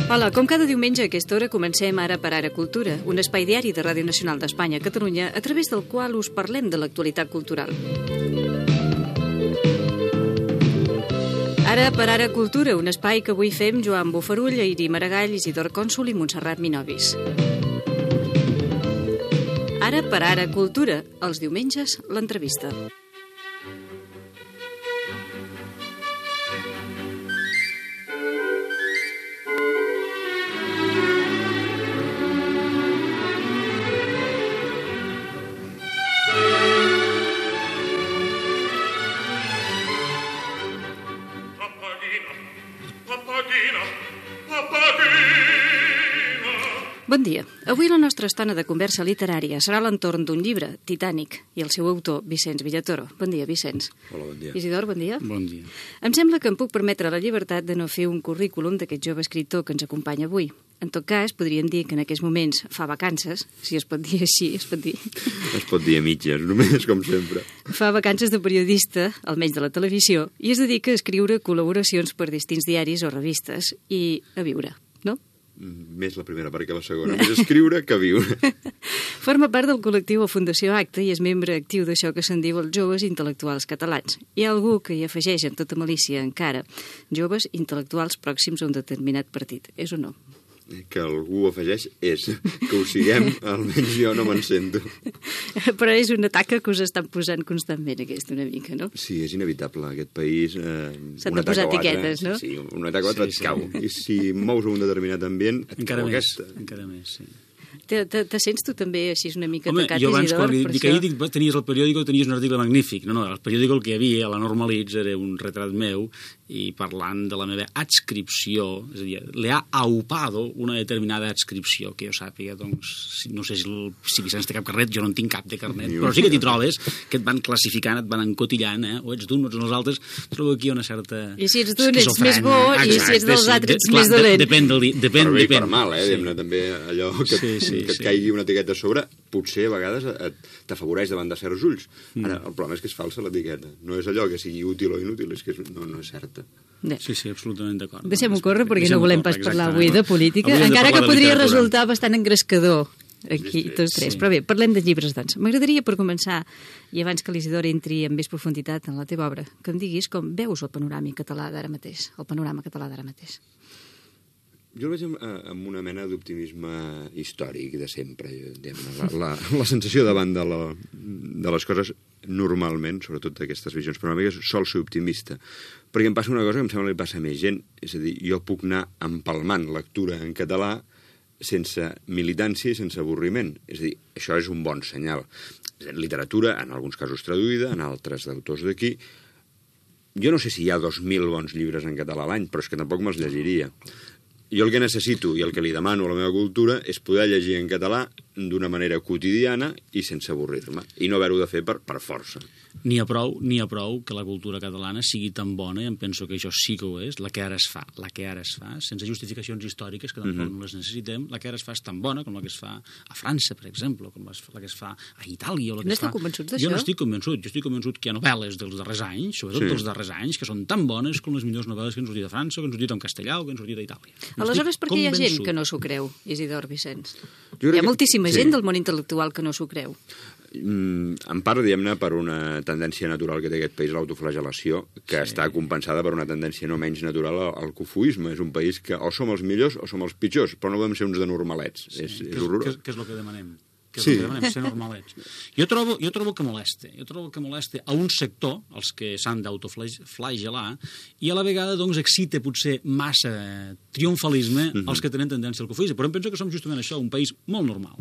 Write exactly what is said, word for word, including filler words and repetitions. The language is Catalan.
Hola, com cada diumenge a aquesta hora comencem Ara per Ara Cultura, un espai diari de Ràdio Nacional d'Espanya a Catalunya, a través del qual us parlem de l'actualitat cultural. Ara per Ara Cultura, un espai que avui fem Joan Bofarull, Airi Maragall, Isidor Cònsul i Montserrat Minovis. Ara per Ara Cultura, els diumenges, l'entrevista. Bon dia. Avui la nostra estona de conversa literària serà a l'entorn d'un llibre, Titanic, i el seu autor, Vicenç Villatoro. Bon dia, Vicenç. Hola, bon dia. Isidor, bon dia. Bon dia. Em sembla que em puc permetre la llibertat de no fer un currículum d'aquest jove escriptor que ens acompanya avui. En tot cas, podríem dir que en aquests moments fa vacances, si es pot dir així, es pot dir. Es pot dir a mitges, només, com sempre. Fa vacances de periodista, almenys de la televisió, i es dedica a escriure col·laboracions per distints diaris o revistes i a viure, no? Més la primera part que la segona. Més escriure que viure. Forma part del col·lectiu o Fundació Acta i és membre actiu d'això que se'n diu els joves intel·lectuals catalans. Hi ha algú que hi afegeix amb tota malícia encara joves intel·lectuals pròxims a un determinat partit. És o no? Que algú afegeix és. Que ho siguem, almenys jo no me'n sento. Però és una taca que us estan posant constantment, aquesta, una mica, no? Sí, és inevitable. Aquest país... Eh, S'han de posar etiquetes, no? Sí, una taca o altra et cau. I si mous un determinat ambient, et encara cau més, aquesta. encara més, sí. Te, te, te sents tu també així una mica Home, tacat, jo abans, Isidor? quan Per dic això? ahir, dic, tenies el periòdico, tenies un article magnífic. No, no, el periòdico el que hi havia, a la Normalitz, era un retrat meu, i parlant de la meva adscripció, és a dir, le ha aupado una determinada adscripció, que jo sàpiga, doncs, no sé si, el, si Vicenç té cap carnet, jo no en tinc cap de carnet, però sí que t'hi trobes, que et van classificant, et van encotillant, eh? O ets d'un o ets dels altres, trobo aquí una certa I si ets d'un ets més bo, i si ets dels altres ets més dolent. Depèn del dia, depèn, Per bé i depèn. per mal, eh? Sí. També allò que, Sí, sí, que et sí. caigui una etiqueta a sobre, potser a vegades et, t'afavoreix davant de certs ulls. Ara, el problema és que és falsa l'etiqueta. No és allò que sigui útil o inútil, és que és, no, no és certa. Bé. Sí, sí, absolutament d'acord. Deixem-ho córrer perquè Deixem-ho no volem córrer, pas parlar exactament. avui de política, Avui hem de encara que parlar de podria literatura. resultar bastant engrescador aquí, Sí, sí. tots tres. Sí. Però bé, parlem de llibres, doncs. M'agradaria, per començar, i abans que l'Isidor entri amb més profunditat en la teva obra, que em diguis com veus el panorama català d'ara mateix, el panorama català d'ara mateix. Jo el veig amb, eh, amb una mena d'optimisme històric de sempre. Diguem-ne. La, la, la sensació davant de, la, de les coses normalment, sobretot d'aquestes visions panoràmiques, sol ser optimista. Perquè em passa una cosa que em sembla que li passa a més gent. És a dir, jo puc anar empalmant lectura en català sense militància i sense avorriment. És a dir, això és un bon senyal. Literatura, en alguns casos traduïda, en altres d'autors d'aquí. Jo no sé si hi ha dos mil bons llibres en català a l'any, però és que tampoc me'ls llegiria. Jo el que necessito i el que li demano a la meva cultura és poder llegir en català d'una manera quotidiana i sense avorrir-me, i no haver-ho de fer per, per força. N'hi ha prou, n'hi ha prou que la cultura catalana sigui tan bona, i em penso que això sí que ho és, la que ara es fa, la que ara es fa, sense justificacions històriques, que tampoc Mhm. no les necessitem, la que ara es fa és tan bona com la que es fa a França, per exemple, com la que es fa a Itàlia. O la que No es fa... esteu convençuts d'això? Jo no estic convençut, jo estic convençut que hi ha novel·les dels darrers anys, sobretot Sí. dels darrers anys, que són tan bones com les millors novel·les que han sortit a França, o que han sortit en castellà, o que han sortit a Itàlia. Aleshores, per què hi ha gent Convençut. que no s'ho creu, Isidor Vicenç? Jo Hi crec ha que- moltíssima sí. gent del món intel·lectual que no s'ho creu. Mm, en part, diguem-ne, per una tendència natural que té aquest país, l'autoflagel·lació, que Sí. està compensada per una tendència no menys natural al, al cofoisme. És un país que o som els millors o som els pitjors, però no podem ser uns de normalets. Sí, és, que és horrorós. Que, que és el que demanem. Que és Sí. el que demanem, ser normalets. Jo trobo, jo trobo que molesta. Jo trobo que molesta a un sector, els que s'han d'autoflagelar, i a la vegada doncs, excita potser massa triomfalisme Mhm. els que tenen tendència al cofoisme. Però em penso que som justament això, un país molt normal.